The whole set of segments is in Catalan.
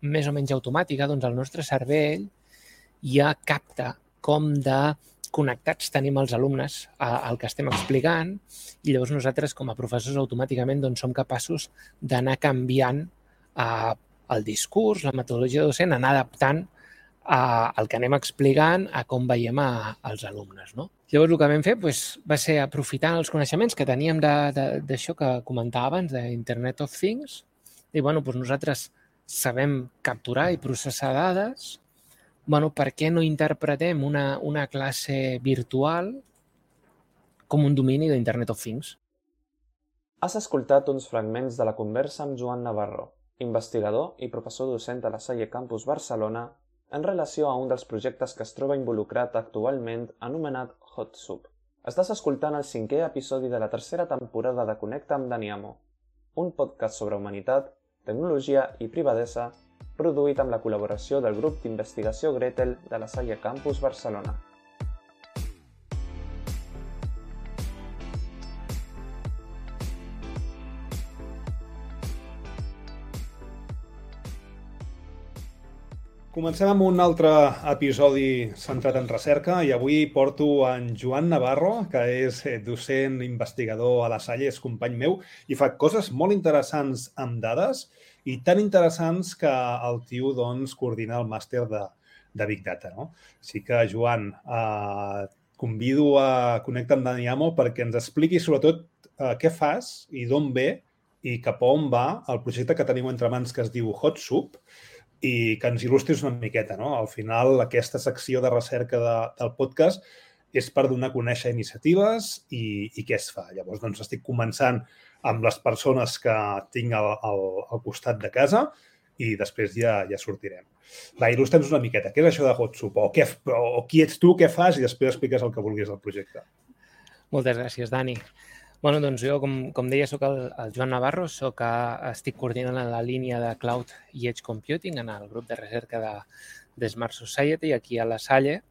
més o menys automàtica, doncs el nostre cervell ja capta com de connectats tenim els alumnes al que estem explicant i llavors nosaltres com a professors automàticament doncs, som capaços d'anar canviant el discurs, la metodologia docent, anar adaptant el que anem explicant a com veiem als alumnes. No? Llavors el que vam fer va ser aprofitar els coneixements que teníem d'això que comentava abans, d'Internet of Things, i nosaltres sabem capturar i processar dades, per què no interpretem una classe virtual com un domini d'Internet of Things? Has escoltat uns fragments de la conversa amb Joan Navarro, investigador i professor docent a la Salle Campus Barcelona, en relació a un dels projectes que es troba involucrat actualment anomenat HotSoup. Estàs escoltant el 5è episodi de la 3a temporada de Connecta amb Daniamo, un podcast sobre humanitat, tecnologia i privadesa produït amb la col·laboració del grup d'investigació Gretel de la Salle Campus Barcelona. Comencem amb un altre episodi centrat en recerca i avui porto en Joan Navarro, que és docent investigador a la Salle, és company meu i fa coses molt interessants amb dades i tan interessants que el tio coordina el màster de Big Data. No? Així que, Joan, convido a Connecta amb Daniamo perquè ens expliqui sobretot què fas i d'on ve i cap a on va el projecte que tenim entre mans que es diu HotSoup, i que ens il·lustris una miqueta. No? Al final, aquesta secció de recerca del podcast és per donar a conèixer iniciatives i què es fa. Llavors, estic començant amb les persones que tinc al costat de casa i després ja sortirem. Va, il·lustra'ns una miqueta. Què és això de HotSoup? O qui ets tu, què fas? I després expliques el que vulguis del projecte. Moltes gràcies, Dani. Doncs jo, com deia, soc el Joan Navarro, estic coordinant la línia de Cloud i Edge Computing en el grup de recerca de Smart Society aquí a la Salle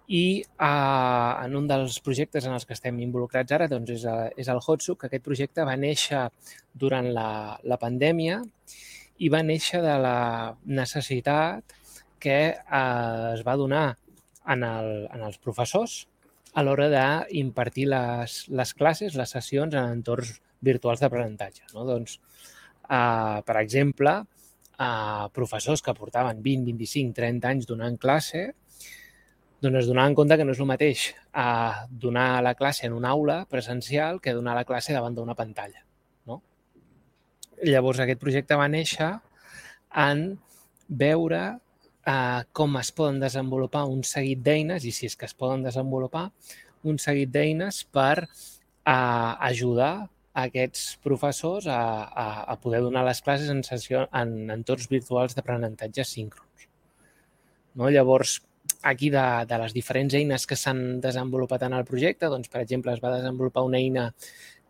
i en un dels projectes en els que estem involucrats ara és el HotSoup, que aquest projecte va néixer durant la pandèmia i va néixer de la necessitat que es va donar en els professors a l'hora d'impartir les classes, les sessions en entorns virtuals d'aprenentatge. No? Per exemple, professors que portaven 20, 25, 30 anys donant classe, es donaven compte que no és el mateix donar la classe en una aula presencial que donar la classe davant d'una pantalla. No? Llavors, aquest projecte va néixer en veure com es poden desenvolupar un seguit d'eines, i si és que es poden desenvolupar, un seguit d'eines per ajudar aquests professors a poder donar les classes en entorns virtuals d'aprenentatge síncrons. No? Llavors, aquí de les diferents eines que s'han desenvolupat en el projecte, per exemple, es va desenvolupar una eina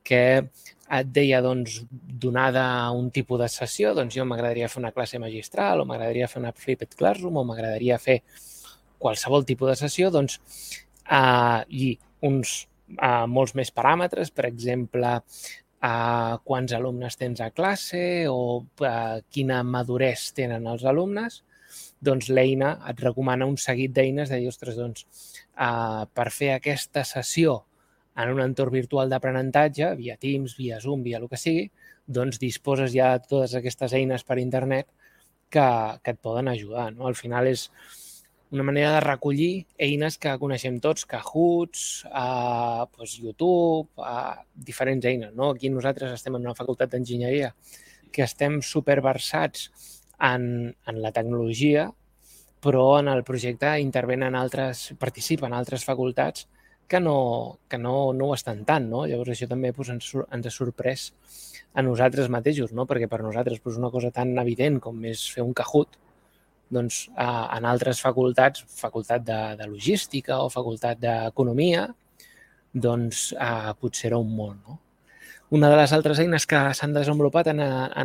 que et deia, donada un tipus de sessió, jo m'agradaria fer una classe magistral o m'agradaria fer una flipped classroom o m'agradaria fer qualsevol tipus de sessió, i uns molts més paràmetres, per exemple, quants alumnes tens a classe o quina madurez tenen els alumnes, l'eina et recomana un seguit d'eines de dir, ostres, per fer aquesta sessió en un entorn virtual d'aprenentatge, via Teams, via Zoom, via el que sigui, disposes ja de totes aquestes eines per internet que et poden ajudar. No? Al final és una manera de recollir eines que coneixem tots, Kahoots, YouTube, diferents eines. No? Aquí nosaltres estem en una facultat d'enginyeria que estem superversats en la tecnologia, però en el projecte participen altres facultats que no ho estan tant. No? Llavors, això també ens ha sorprès a nosaltres mateixos, no? Perquè per nosaltres una cosa tan evident com és fer un Kahoot, en altres facultats, facultat de logística o facultat d'economia, potser era un món. No? Una de les altres eines que s'han desenvolupat en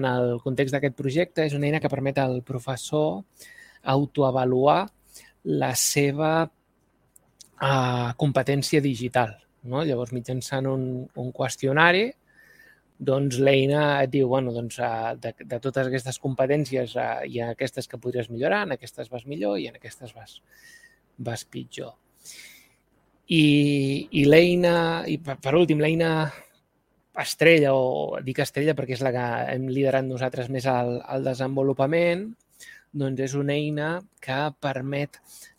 el context d'aquest projecte és una eina que permet al professor autoavaluar la seva competència digital. No? Llavors, mitjançant un qüestionari, doncs l'eina et diu, bueno, doncs de totes aquestes competències hi ha aquestes que podries millorar, en aquestes vas millor i en aquestes vas pitjor. I l'eina, i per últim, l'eina estrella, o dic estrella perquè és la que hem liderat nosaltres més al desenvolupament, doncs és una eina que permet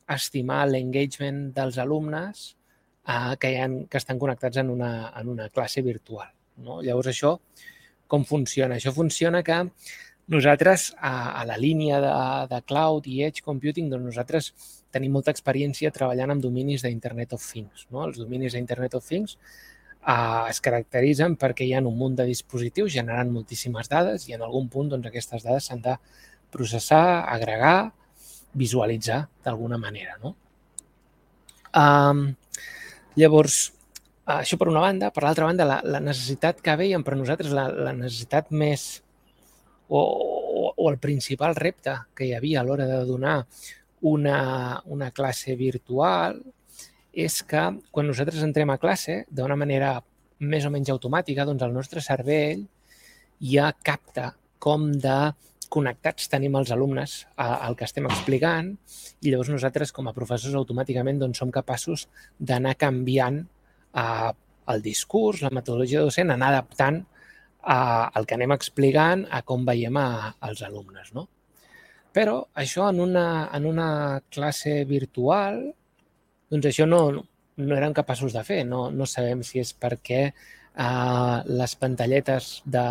estimar l'engagement dels alumnes que estan connectats en una classe virtual. No? Llavors, això com funciona? Això funciona que nosaltres, a la línia de Cloud i Edge Computing, doncs nosaltres tenim molta experiència treballant amb dominis d'Internet of Things. No? Els dominis d'Internet of Things es caracteritzen perquè hi ha un munt de dispositius generant moltíssimes dades i en algun punt doncs, aquestes dades s'han de processar, agregar, visualitzar d'alguna manera. No? Llavors, això per una banda. Per l'altra banda, la necessitat que veiem per nosaltres, la necessitat més o el principal repte que hi havia a l'hora de donar una classe virtual és que quan nosaltres entrem a classe, d'una manera més o menys automàtica, doncs el nostre cervell ja capta com de connectats tenim els alumnes al que estem explicant i llavors nosaltres com a professors automàticament doncs, som capaços d'anar canviant el discurs, la metodologia docent, anar adaptant el que anem explicant a com veiem als alumnes. No? Però això en una classe virtual, doncs això no érem capaços de fer. No sabem si és perquè les pantalletes de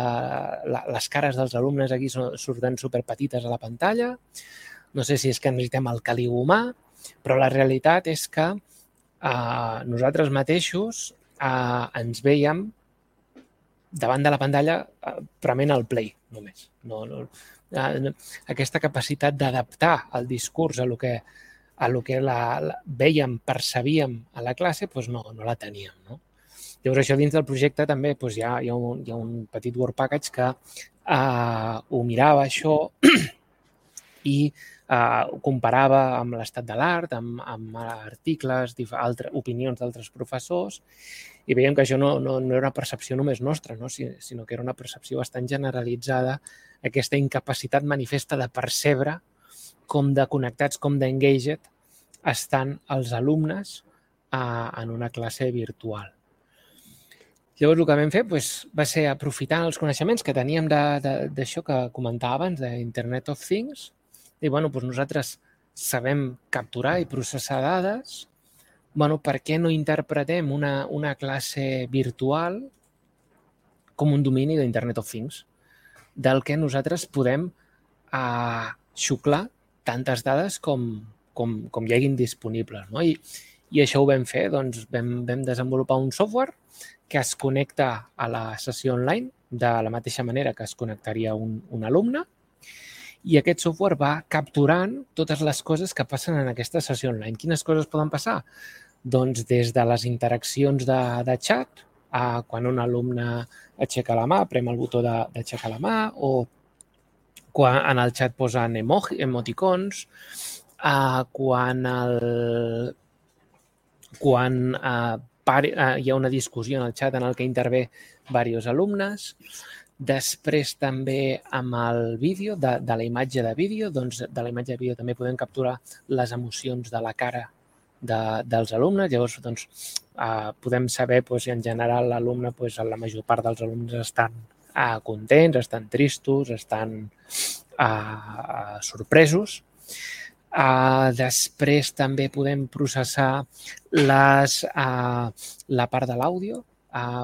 les cares dels alumnes aquí surten superpetites a la pantalla, no sé si és que necessitem el caliu humà, però la realitat és que nosaltres mateixos ens veiem davant de la pantalla prement el play només. Aquesta capacitat d'adaptar el discurs a lo que veiem, percebíem a la classe, doncs no la teníem. No? Llavors, això dins del projecte també hi ha un petit Word Package que ho mirava això i ho comparava amb l'estat de l'art, amb articles, opinions d'altres professors, i veiem que això no era una percepció només nostra, no? Sinó que era una percepció bastant generalitzada, aquesta incapacitat manifesta de percebre com de connectats, com d'engaged estan els alumnes en una classe virtual. Llavors, el que vam fer va ser aprofitant els coneixements que teníem d'això que comentava abans, d'Internet of Things, i nosaltres sabem capturar i processar dades, per què no interpretem una classe virtual com un domini d'Internet of Things, del que nosaltres podem xuclar tantes dades com hi haguin disponibles. No? I això ho vam fer, doncs vam desenvolupar un software que es connecta a la sessió online de la mateixa manera que es connectaria un alumne i aquest software va capturant totes les coses que passen en aquesta sessió online. Quines coses poden passar? Doncs des de les interaccions de xat, quan un alumne aixeca la mà, prem el botó d'aixecar la mà, o quan en el xat posen emoticons, quan hi ha una discussió en el xat en el que intervé diversos alumnes. Després també amb el vídeo, de la imatge de vídeo, doncs de la imatge de vídeo també podem capturar les emocions de la cara dels alumnes. Llavors doncs, podem saber si en general l'alumne, la major part dels alumnes estan contents, estan tristos, estan sorpresos. Després també podem processar la part de l'àudio.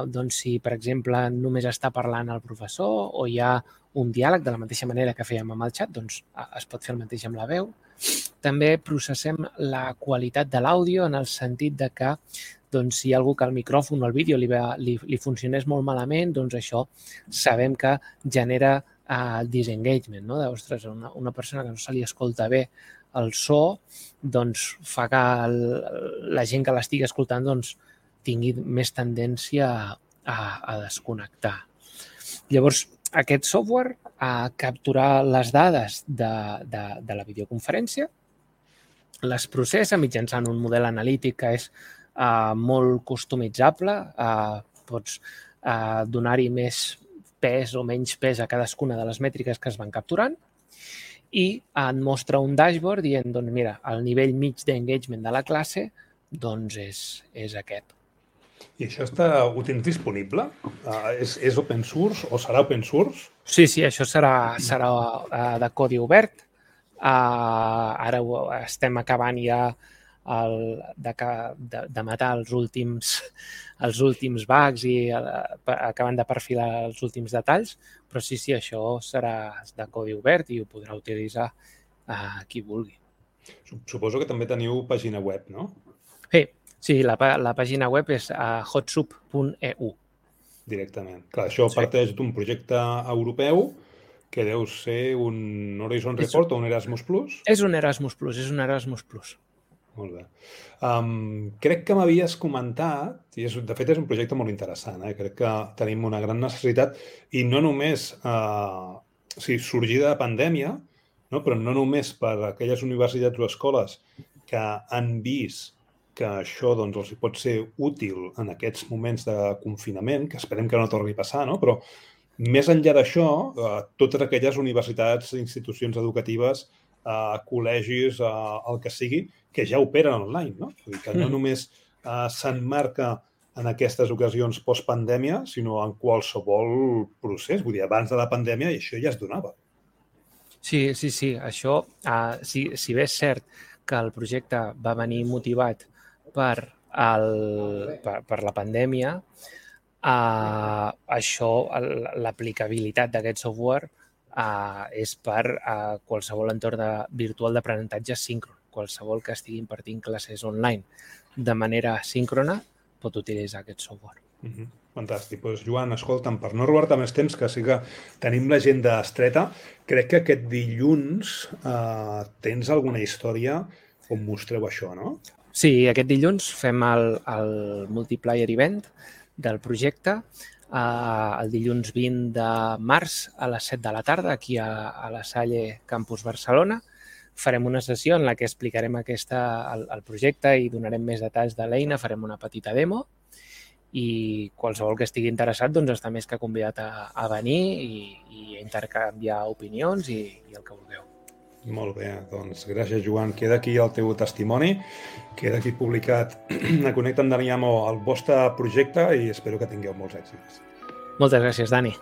Doncs si, per exemple, només està parlant el professor o hi ha un diàleg de la mateixa manera que fèiem amb el xat, doncs es pot fer el mateix amb la veu. També processem la qualitat de l'àudio en el sentit de que si hi ha algú que el micròfon o el vídeo li funcionés molt malament, doncs això sabem que genera disengagement. Ostres, una persona que no se li escolta bé el so doncs fa que la gent que l'estigui escoltant tingui més tendència a desconnectar. Llavors, aquest software captura les dades de la videoconferència, les processa mitjançant un model analític que és molt customitzable, pots donar-hi més pes o menys pes a cadascuna de les mètriques que es van capturant i et mostra un dashboard dient, doncs mira, el nivell mig d'engagement de la classe doncs és aquest. I això ho tens disponible? És open source o serà open source? Sí, això serà de codi obert. Ara estem acabant ja de matar els últims bugs i acabant de perfilar els últims detalls, però sí, això serà de codi obert i ho podrà utilitzar qui vulgui. Suposo que també teniu pàgina web, no? Sí, la pàgina web és hotsup.eu. Directament. Clar, això parteix d'un projecte europeu que deu ser un Horizon Report o un Erasmus+? És un Erasmus+. Molt bé. Crec que m'havies comentat, i de fet és un projecte molt interessant, crec que tenim una gran necessitat, i no només sorgida de pandèmia, però no només per aquelles universitats o escoles que han vist que això els pot ser útil en aquests moments de confinament, que esperem que no torni a passar, però més enllà d'això, totes aquelles universitats, institucions educatives, col·legis, el que sigui, que ja operen online, no? Vull dir que no només s'emmarca en aquestes ocasions post-pandèmia, sinó en qualsevol procés. Vull dir, abans de la pandèmia això ja es donava. Sí, això, si bé és cert que el projecte va venir motivat per la pandèmia, això, l'aplicabilitat d'aquest software és per qualsevol entorn virtual d'aprenentatge síncron. Qualsevol que estigui impartint classes online de manera síncrona pot utilitzar aquest software. Fantàstic. Doncs, Joan, escolta'm, per no robar-te més temps, que sí que tenim l'agenda estreta, crec que aquest dilluns tens alguna història on mostreu això, no? Sí, aquest dilluns fem el Multiplier Event del projecte, el dilluns 20 de març a les 7 de la tarda, aquí a la Salle Campus Barcelona. Farem una sessió en la que explicarem el projecte i donarem més detalls de l'eina, farem una petita demo i qualsevol que estigui interessat està més que convidat a venir i intercanviar opinions i el que vulgueu. Molt bé, doncs gràcies, Joan. Queda aquí el teu testimoni, queda aquí publicat a Connecta amb Dani Amo el vostre projecte i espero que tingueu molts èxits. Moltes gràcies, Dani.